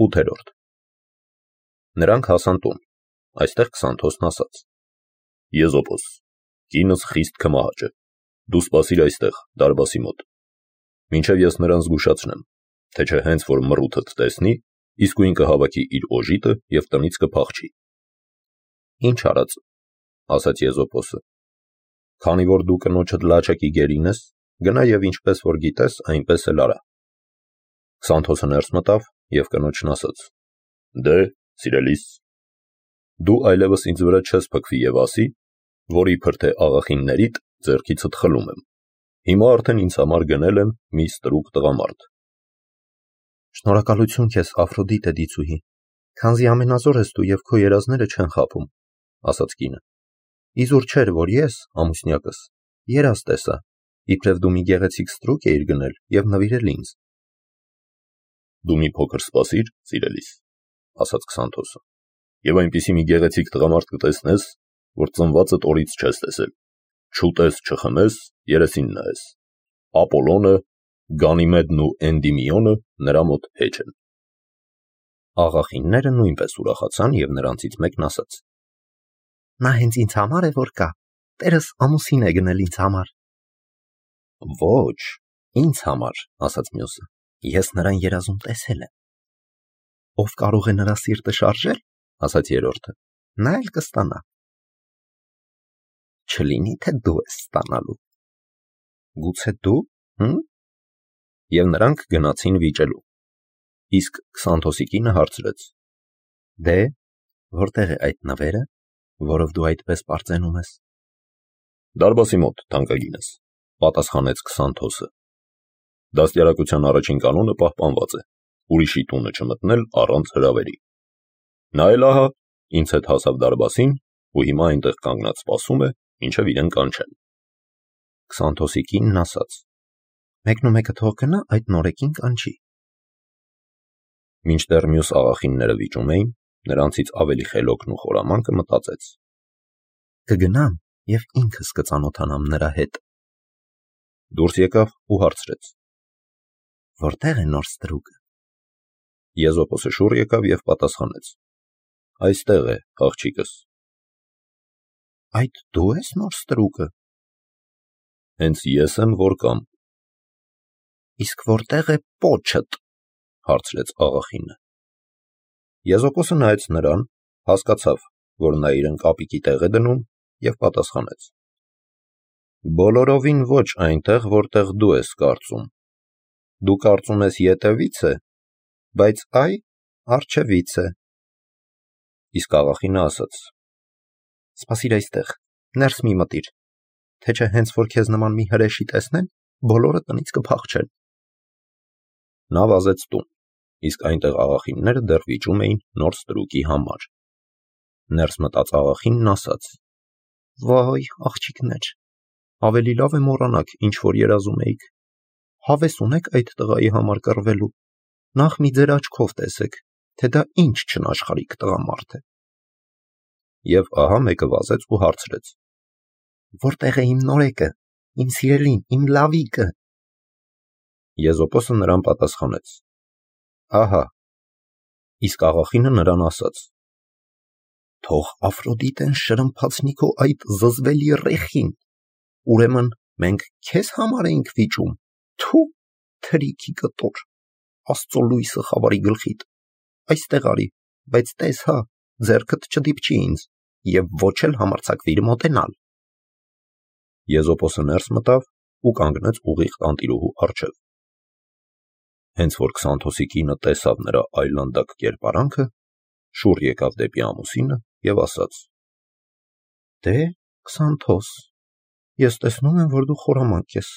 8-րդ Նրանք հասան տուն, այստեղ Քսանթոսն ասաց. Եզոպոս, կինս խիստ քմահաճ է, դու սպասիր այստեղ, դարբասի մոտ, մինչև ես նրան զգուշացնեմ, թե չէ հենց որ մռութդ տեսնի, իսկույն կհավաքի իր օժիտը և տնից կփախչի։ Ինչ արած, ասաց Եզոպոսը, քանի որ դու կնոջդ լաչակի գերին ես, գնա և ինչպես որ գիտես, այնպես էլ արա։ Քսանթոսը ներս մտավ և կնոջն ասաց. Դե, սիրելիս, դու այլևս ինձ վրա չես փքվի և ասի, որ իբր թե աղախիններիդ ձեռքիցդ խլում եմ։ Հիմա արդեն ինձ համար գնել եմ մի ստրուկ տղամարդ։ Շնորհակալություն քեզ, Աֆրոդիտե դիցուհի, քանզի ամենազոր ես դու և քո երազները չեն խաբում, ասաց կինը։ Իզուր չէր, որ ես, ամուսնյակս, երազ տեսա, իբրև դու մի գեղեցիկ ստրուկ էիր գնել և նվիրել ինձ։ Դու մի փոքր սպասիր, սիրելիս, ասաց Քսանթոսը, և այնպիսի մի գեղեցիկ տղամարդ կտեսնես, որ ծնվածդ օրից չես տեսել, չուտես, չխմես, երեսին նայես։ Ապոլոնը, Գանիմեդն ու Էնդիմիոնը նրա մոտ հեչ են։ Աղախինները նույնպես ուրախացան և նրանցից մեկն ասաց. Նա հենց ինձ համար է, որ կա, տերս ամուսին է գնել ինձ համար։ Ոչ, ինձ համար, ասաց մյուսը, ես նրան երազում տեսել եմ։ Ով կարող է նրա սիրտը շարժել, ասաց երրորդը, նա էլ կստանա։ Չլինի թե դու ես ստանալու։ Գուցե դու, Եվ նրանք գնացին վիճելու։ Իսկ Քսանթոսի կինը հարցրեց. Դե, որտեղ է այդ նվերը, որով դու այդպես պարծենում ես։ Դարբասի մոտ, թանկագինս, պատասխանեց Քսանթոսը։ Դաստիարակության առաջին կանոնը պահպանված է, ուրիշի տունը չմտնել առանց հրավերի։ Նա էլ ահա ինձ հետ հասավ դարբասին ու հիմա այնտեղ կանգնած սպասում է, մինչև իրեն կանչեն։ Քսանթոսի կինն ասաց. Մեկնումեկը թող գնա այդ նորեկին կանչի։ Մինչդեռ մյուս աղախինները վիճում էին, նրանցից ավելի խելոքն ու խորամանկը մտածեց. Կգնամ և ինքս կծանոթանամ նրա հետ։ Դուրս եկավ ու հարցրեց. Որտեղ է նոր ստրուկը։ Եզոպոսը շուռ եկավ և պատասխանեց. Այստեղ է, աղջիկս։ Այդ դու ես նոր ստրուկը։ Հենց ես եմ, որ կամ։ Իսկ որտեղ է պոչդ, հարցրեց աղախինը։ Եզոպոսը նայեց նրան, հասկացավ, որ նա իրեն կապիկի տեղ է դնում և պատասխանեց. Բոլորովին ոչ այնտեղ, որտեղ դու ես կարծում։ Դու կարծում ես ետևից է, բայց այ առջևից է։ Իսկ աղախինը ասաց. Սպասիր այստեղ, ներս մի մտիր, թե չէ հենց որ քեզ նման մի հրեշի տեսնեն, բոլորը տնից կփախչեն։ Նա վազեց տուն, իսկ այնտեղ աղախինները դեռ վիճում էին նոր ստրուկի համար։ Ներս մտած աղախինն ասաց. Վայ, աղջիկներ, ավելի լավ է մոռանաք, ինչ որ երազում էիք։ Հավես ունեք այդ տղայի համար կռվելու։ Նախ մի ձեր աչքով տեսեք, թե դա ինչ չնաշխարհիկ տղամարդ է։ Եվ ահա մեկը վազեց ու հարցրեց. Որտեղ է իմ նորեկը, իմ սիրելին, իմ լավիկը։ Եզոպոսը նրան պատասխանեց. Ահա։ Իսկ աղախինը նրան ասաց. Թող Աֆրոդիտեն շրմփացնի քո այդ զզվելի ռեխին։ Ուրեմն մենք քեզ համար էինք վիճում։ Թու, թրիքի կտոր, Աստծո լույսը խավարի գլխիդ։ Այստեղ արի, բայց տես հա, ձեռքդ չդիպչի ինձ և ոչ էլ համարձակվիր մոտենալ։ Եզոպոսը ներս մտավ ու կանգնեց ուղիղ տանտիրուհու առջև։ Հենց որ Քսանթոսի կինը տեսավ նրա այլանդակ կերպարանքը, շուռ եկավ դեպի ամուսինը և ասաց. Դե, Քսանթոս, ես տեսնում եմ, որ դու խորամանկ ես,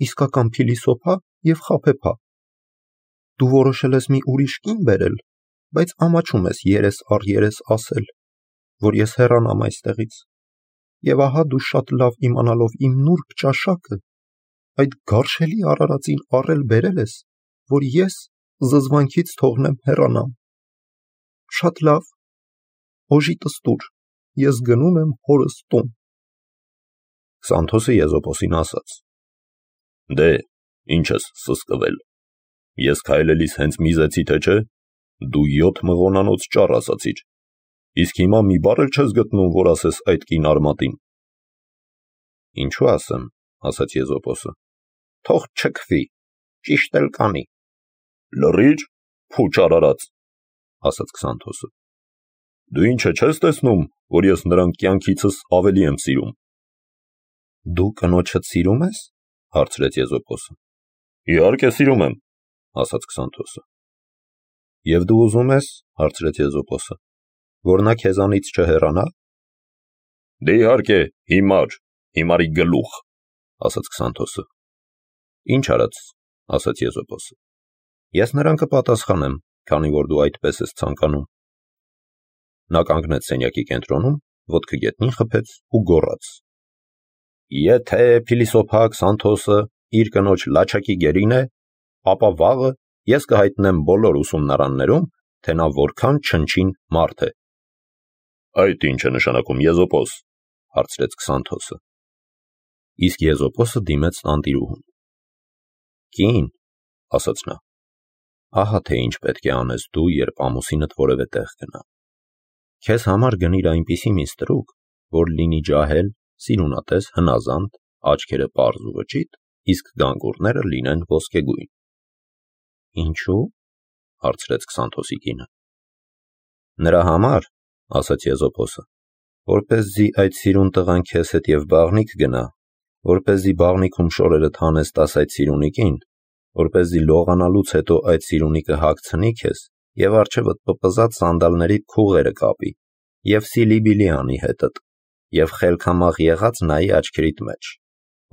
իսկական փիլիսոփա և խաբեբա։ Դու որոշել ես մի ուրիշ կին բերել, բայց ամաչում ես երես առ երես ասել, որ ես հեռանամ այստեղից։ Եվ ահա դու շատ լավ իմանալով իմ նուրբ ճաշակը, այդ գարշելի արարածին առել բերել ես, որ ես զզվանքից թողնեմ հեռանամ։ Շատ լավ, օժիտս տուր, ես գնում եմ հորս տուն։ Քսանթոսը Եզոպոսին ասաց. Դե, ինչ ես սսկվել։ Ես քայլելիս հենց միզեցի, թե չէ։ Դու 7 մղոնանոց ճառ ասացիր, իսկ հիմա մի բառ էլ չես գտնում, որ ասես այդ կին արմատին։ Ինչու ասեմ, ասաց Եզոպոսը, թող չքվի, ճիշտ էլ կանի։ Լռի՛ր, փուչ արարած, ասաց Քսանթոսը։ Դու ինչ չես տեսնում, որ ես նրան կյանքիցս ավելի եմ սիրում։ Դու կնոջդ սիրում ես, հարցրեց Եզոպոսը։ Իհարկե սիրում եմ, ասաց Քսանթոսը։ Եվ դու ուզում ես, հարցրեց Եզոպոսը, որ նա քեզանից չհեռանա։ Դե իհարկե, հիմարի գլուխ, ասաց Քսանթոսը։ Ինչ արած, ասաց Եզոպոսը։ Ես նրան կպատասխանեմ, քանի որ դու այդպես ես ցանկանում։ Նա կանգնեց սենյակի կենտրոնում, ոտքը գետնին խփեց ու գոռաց. Եթե փիլիսոփա Քսանթոսը իր կնոջ լաչակի գերին է, ապա վաղը ես կհայտնեմ բոլոր ուսումնարաններում, թե նա որքան չնչին մարդ է։ Այդ ինչ է նշանակում, Եզոպոս, հարցրեց Քսանթոսը։ Իսկ Եզոպոսը դիմեց տանտիրուհուն։ Կին, ասաց նա, ահա թե ինչ պետք է անես դու, երբ ամուսինդ որևէ տեղ գնա։ Քեզ համար գնիր այնպիսի մի ստրուկ, որ լինի ջահել, սիրունատես, հնազանդ, աչքերը պարզ ու վճիտ, իսկ գանգուրները լինեն ոսկեգույն։ Ինչու՞, հարցրեց Քսանթոսի կինը։ Նրա համար, ասաց Եզոպոսը, որպեսզի այդ սիրուն տղան քեզ հետ եւ բաղնիք գնա, որպեսզի բաղնիքում շորերդ հանես այդ սիրունիկին, որպեսզի լողանալուց հետո այդ սիրունիկը հագցնի քեզ եւ առջևդ պպզած սանդալների քուղերը կապի եւ սիլիբիլի անի հետդ եւ խելքամաղ եղած նայի աչքերիդ մեջ,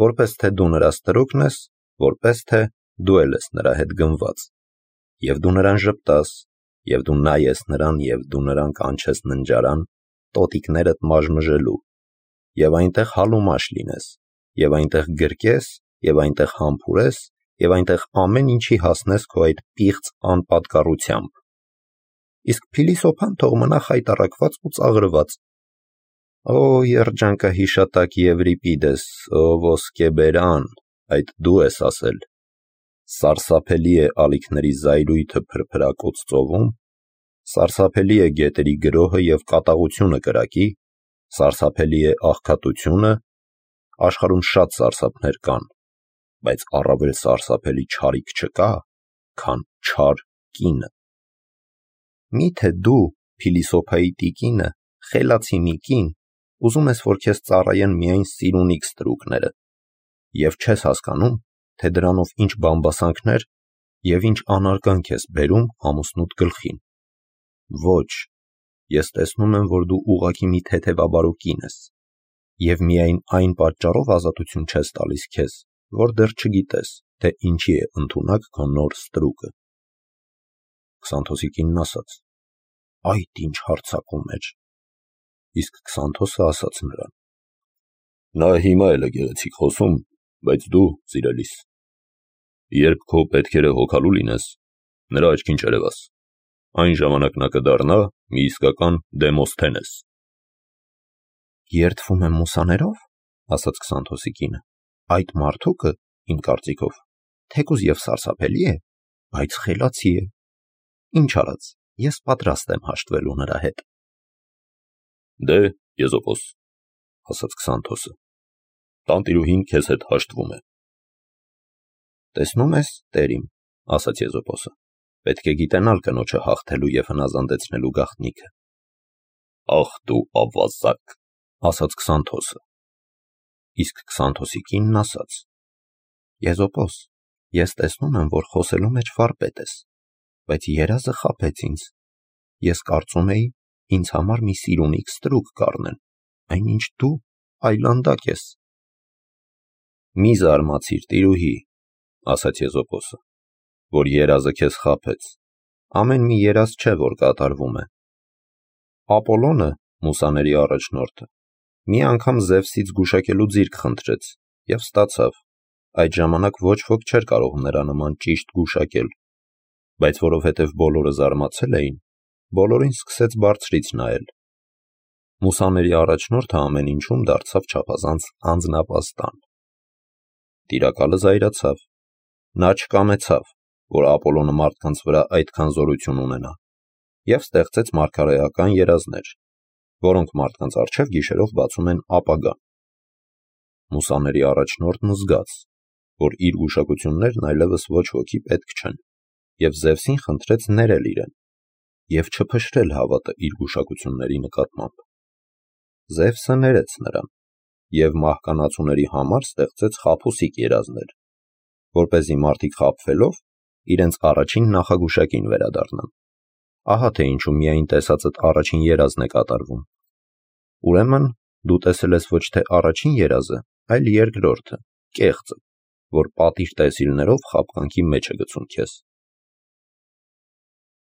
որպես թե դու նրա ստրուկն ես, որպես թե դու ես նրա հետ գնված, եւ դու նրան ժպտաս, եւ դու նայես նրան, եւ դու նրան կանչես ննջարան, տոտիկներդ մաժմժելու, եւ այնտեղ հալումաշ լինես, եւ այնտեղ գրկես, եւ այնտեղ համբուրես, եւ այնտեղ ամեն ինչի հասնես քո այդ պիղծ անպատկառությամբ։ Իսկ փիլիսոփան թող մնա խայտառակված ու ծաղրված։ Օ երջանկահիշատակ Եվրիպիդես, օ ոսկեբերան, այդ դու ես ասել։ Սարսափելի է ալիքների զայրույթը փրփրակոց ծովում, սարսափելի է գետերի գրոհը եւ կատաղությունը կրակի, սարսափելի է աղքատությունը, աշխարհում շատ սարսափներ կան, բայց առավել սարսափելի չարիք չկա, քան չար կինը։ Միթե դու, փիլիսոփայի տիկինը, խելացի մի կին, ուզում ես, որ քեզ ծառայեն միայն սիրունիկ ստրուկները, եւ չես հասկանում, թե դրանով ինչ բամբասանքներ եւ ինչ անարգանք ես բերում ամուսնուդ գլխին։ Ոչ, ես տեսնում եմ, որ դու ուղղակի մի թեթևաբարո կին ես, եւ միայն այն պատճառով ազատություն չես տալիս քեզ, որ դեռ չգիտես, թե ինչի է ընդունակ քո նոր ստրուկը։ Քսանթոսի կինն ասաց. Այդ ինչ հարցակում էր։ Իսկ Քսանթոսը ասաց նրան. Նա հիմա էլ է գեղեցիկ խոսում, բայց դու, սիրելիս, երբ քո պետքերը հոգալու լինես, նրա աչքին չերևաս, այն ժամանակ նա կդառնա մի իսկական Դեմոսթենես։ Երդվում եմ մուսաներով, ասաց Քսանթոսի կինը, այդ մարդուկը, իմ կարծիքով, թեկուզ եւ սարսափելի է, բայց խելացի է։ Ինչ արած, ես պատրաստ եմ հաշտվելու նրա հետ։ Դե, Եզոպոս, ասաց Քսանթոսը, տանտիրուհին քեզ հետ հաշտվում է։ Տեսնում ես, տերիմ, ասաց Եզոպոսը, պետք է գիտենալ կնոջը հաղթելու եւ հնազանդեցնելու գաղտնիքը։ Ախ դու ավազակ, ասաց Քսանթոսը։ Իսկ Քսանթոսի կինն ասաց. Եզոպոս, ես տեսնում եմ, որ խոսելու մեջ վարպետ ես, բայց երազը խաբեց ինձ։ Ես կարծում էի, ինձ համար մի սիրունիկ ստրուկ կառնեն, այնինչ դու այլանդակ ես։ Մի զարմացիր, տիրուհի, ասաց Եզոպոսը, որ երազը քեզ խաբեց։ Ամեն մի երազ չէ, որ կատարվում է։ Ապոլոնը, մուսաների առաջնորդը, մի անգամ Զևսից գուշակելու ձիրք խնդրեց եւ ստացավ։ Այդ ժամանակ ոչ ոք չէր կարող նրա նման ճիշտ գուշակել, բայց որովհետև բոլորը զարմացել էին, բոլորին սկսեց բարձրից նայել։ Մուսաների առաջնորդը ամեն ինչում դարձավ չափազանց անձնապաստան։ Տիրակալը զայրացավ։ Նա չկամեցավ, որ Ապոլոնը մարդկանց վրա այդքան զորություն ունենա, և ստեղծեց մարգարեական երազներ, որոնք մարդկանց առջև գիշերով բացում են ապագան։ Մուսաների առաջնորդն զգաց, որ իր գուշակություններն այլևս ոչ ոքի պետք չեն, և Զևսին խնդրեց ներել իրեն և չփշրել հավատը իր գուշակությունների նկատմամբ։ Զևսը ներեց նրան և մահկանացուների համար ստեղծեց խաբուսիկ երազներ, որպեսզի մարդիկ խաբվելով իրենց առաջին նախագուշակին վերադառնան։ Ահա թե ինչու միայն տեսածդ առաջին երազն է կատարվում։ Ուրեմն դու տեսել ես ոչ թե առաջին երազը, այլ երկրորդը, կեղծը, որ պատիժ տեսիլներով խաբկանքի մեջ է գցում քեզ։